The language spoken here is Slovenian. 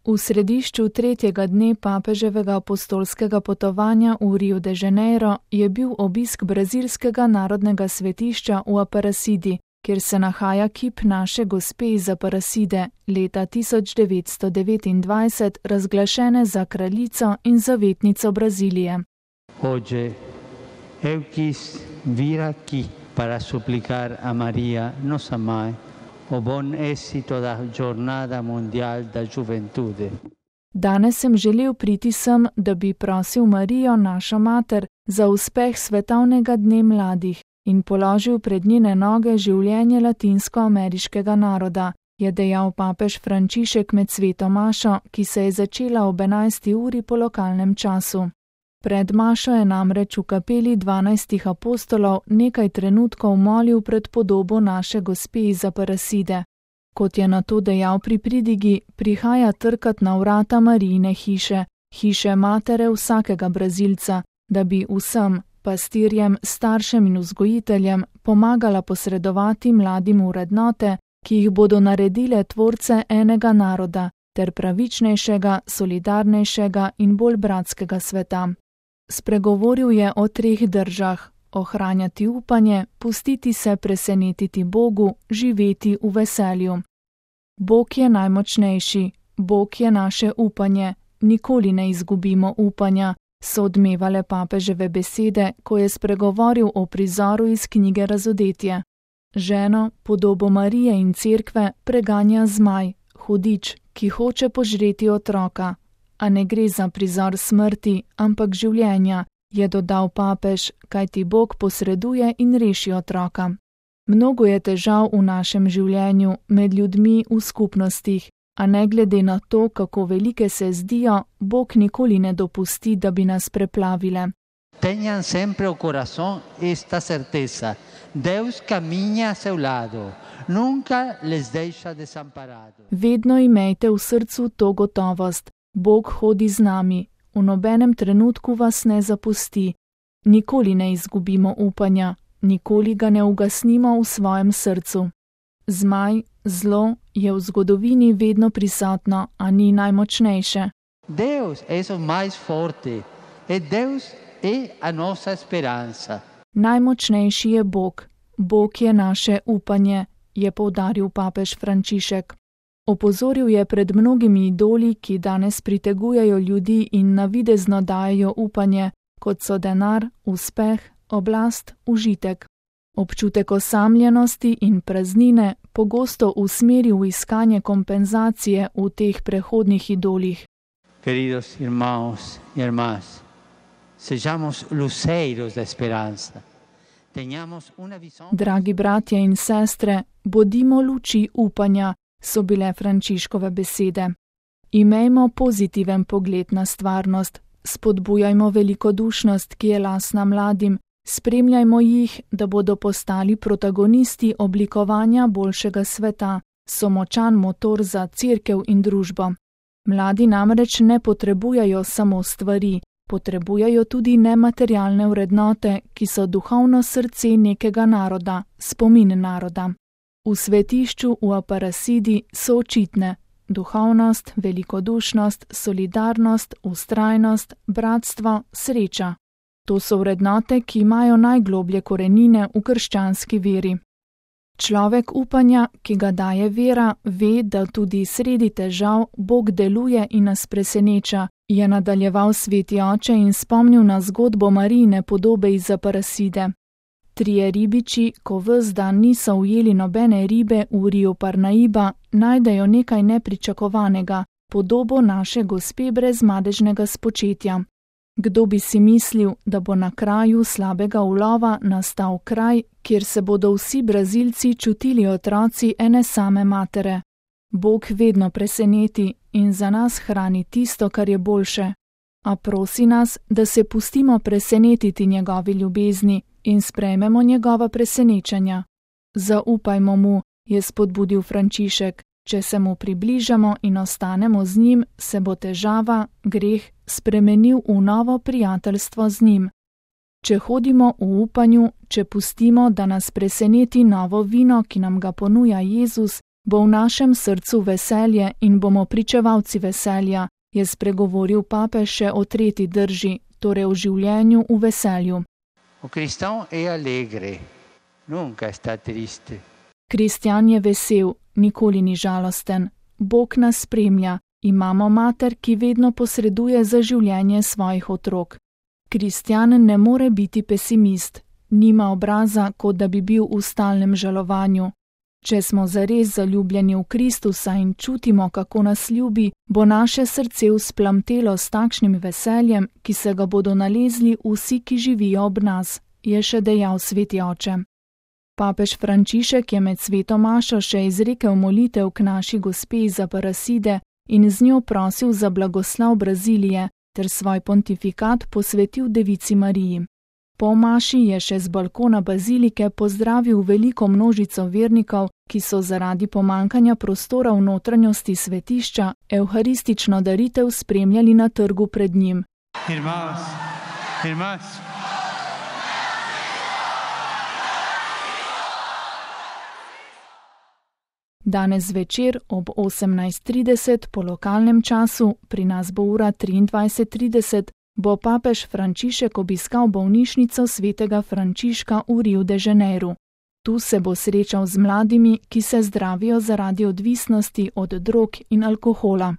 V središču tretjega dne papeževega apostolskega potovanja v Rio de Janeiro je bil obisk brazilskega narodnega svetišča v Aparecidi, kjer se nahaja kip naše gospe iz Aparecide, leta 1929 razglašene za kraljico in zavetnico Brazilije. Hoje eu quis vir aqui para suplicar a Maria, nossa mãe, o bom êxito da Jornada Mundial da Juventude. Danes sem želel priti sem, da bi prosil Marijo, našo mater, za uspeh svetovnega dne mladih in položil pred njene noge življenje latinskoameriškega naroda, je dejal papež Frančišek med sveto mašo, ki se je začela ob 11. uri po lokalnem času. Pred mašo je namreč v kapeli 12 apostolov nekaj trenutkov molil pred podobo naše gospe iz Aparecide. Kot je nato dejal pri pridigi, prihaja trkat na vrata Marijine hiše, hiše matere vsakega Brazilca, da bi vsem, pastirjem, staršem in vzgojiteljem, pomagala posredovati mladim vrednote, ki jih bodo naredile tvorce enega naroda, ter pravičnejšega, solidarnejšega in bolj bratskega sveta. Spregovoril je o 3 držah: ohranjati upanje, pustiti se presenetiti Bogu, živeti v veselju. Bog je najmočnejši, Bog je naše upanje, nikoli ne izgubimo upanja, so odmevale papeževe besede, ko je spregovoril o prizoru iz knjige Razodetje. Ženo, podobo Marije in cerkve, preganja zmaj, hudič, ki hoče požreti otroka. A ne gre za prizor smrti, ampak življenja, je dodal papež, kajti Bog posreduje in reši otroka. Mnogo je težav v našem življenju, med ljudmi v skupnostih, a ne glede na to, kako velike se zdijo, Bog nikoli ne dopusti, da bi nas preplavile. Tenham sempre o coração esta certeza. Deus caminha a seu lado. Nunca les deixa desamparados. Vedno imejte v srcu to gotovost. Bog hodi z nami, v nobenem trenutku vas ne zapusti. Nikoli ne izgubimo upanja, nikoli ga ne ugasnimo v svojem srcu. Zmaj, zlo je v zgodovini vedno prisotno, a ni najmočnejše. Deus é o mais forte. Deus é a nossa esperança. Najmočnejši je Bog. Bog je naše upanje, je poudaril papež Frančišek. Opozoril je pred mnogimi idoli, ki danes pritegujejo ljudi in navidezno dajejo upanje, kot so denar, uspeh, oblast, užitek. Občutek osamljenosti in praznine pogosto usmeri v iskanje kompenzacije v teh prehodnih idolih. Queridos irmãos e irmãs, sejamos luceiros da esperança. Tenhamos una visão. Dragi bratje in sestre, bodimo luči upanja, so bile Frančiškove besede. Imejmo pozitiven pogled na stvarnost, spodbujajmo velikodušnost, ki je lastna mladim, spremljajmo jih, da bodo postali protagonisti oblikovanja boljšega sveta, so močan motor za cerkev in družbo. Mladi namreč ne potrebujejo samo stvari, potrebujejo tudi nematerialne vrednote, ki so duhovno srce nekega naroda, spomin naroda. V svetišču v Aparecidi so očitne duhovnost, velikodušnost, solidarnost, vztrajnost, bratstvo, sreča. To so vrednote, ki imajo najgloblje korenine v krščanski veri. Človek upanja, ki ga daje vera, ve, da tudi sredi težav Bog deluje in nas preseneča, je nadaljeval sveti oče in spomnil na zgodbo Marijine podobe iz Aparecide. 3 ribiči, ko ves dan niso ujeli nobene ribe v Rio Parnaíba, najdejo nekaj nepričakovanega, podobo naše gospe brez madežnega spočetja. Kdo bi si mislil, da bo na kraju slabega ulova nastal kraj, kjer se bodo vsi Brazilci čutili otroci ene same matere. Bog vedno preseneti in za nas hrani tisto, kar je boljše. A prosi nas, da se pustimo presenetiti njegovi ljubezni in sprejmemo njegova presenečenja. Zaupajmo mu, je spodbudil Frančišek. Če se mu približamo in ostanemo z njim, se bo težava, greh, spremenil v novo prijateljstvo z njim. Če hodimo v upanju, če pustimo, da nas preseneti novo vino, ki nam ga ponuja Jezus, bo v našem srcu veselje in bomo pričevalci veselja, je spregovoril papež še o tretji drži, torej o življenju v veselju. Kristjan je vesel, nikoli ni žalosten. Bog nas spremlja, imamo mater, ki vedno posreduje za življenje svojih otrok. Kristjan ne more biti pesimist, nima obraza, kot da bi bil v stalnem žalovanju. Če smo zares zaljubljeni v Kristusa in čutimo, kako nas ljubi, bo naše srce vzplamtelo s takšnim veseljem, ki se ga bodo nalezli vsi, ki živijo ob nas, je še dejal sveti oče. Papež Frančišek je med sveto mašo še izrekel molitev k naši gospe iz Aparecide in z njo prosil za blagoslov Brazilije ter svoj pontifikat posvetil Devici Mariji. Po maši je še z balkona bazilike pozdravil veliko množico vernikov, ki so zaradi pomankanja prostora v notranjosti svetišča evharistično daritev spremljali na trgu pred njim. Danes zvečer ob 18:30 po lokalnem času, pri nas bo ura 23:30, bo papež Frančišek obiskal bolnišnico svetega Frančiška v Rio de Janeiro. Tu se bo srečal z mladimi, ki se zdravijo zaradi odvisnosti od drog in alkohola.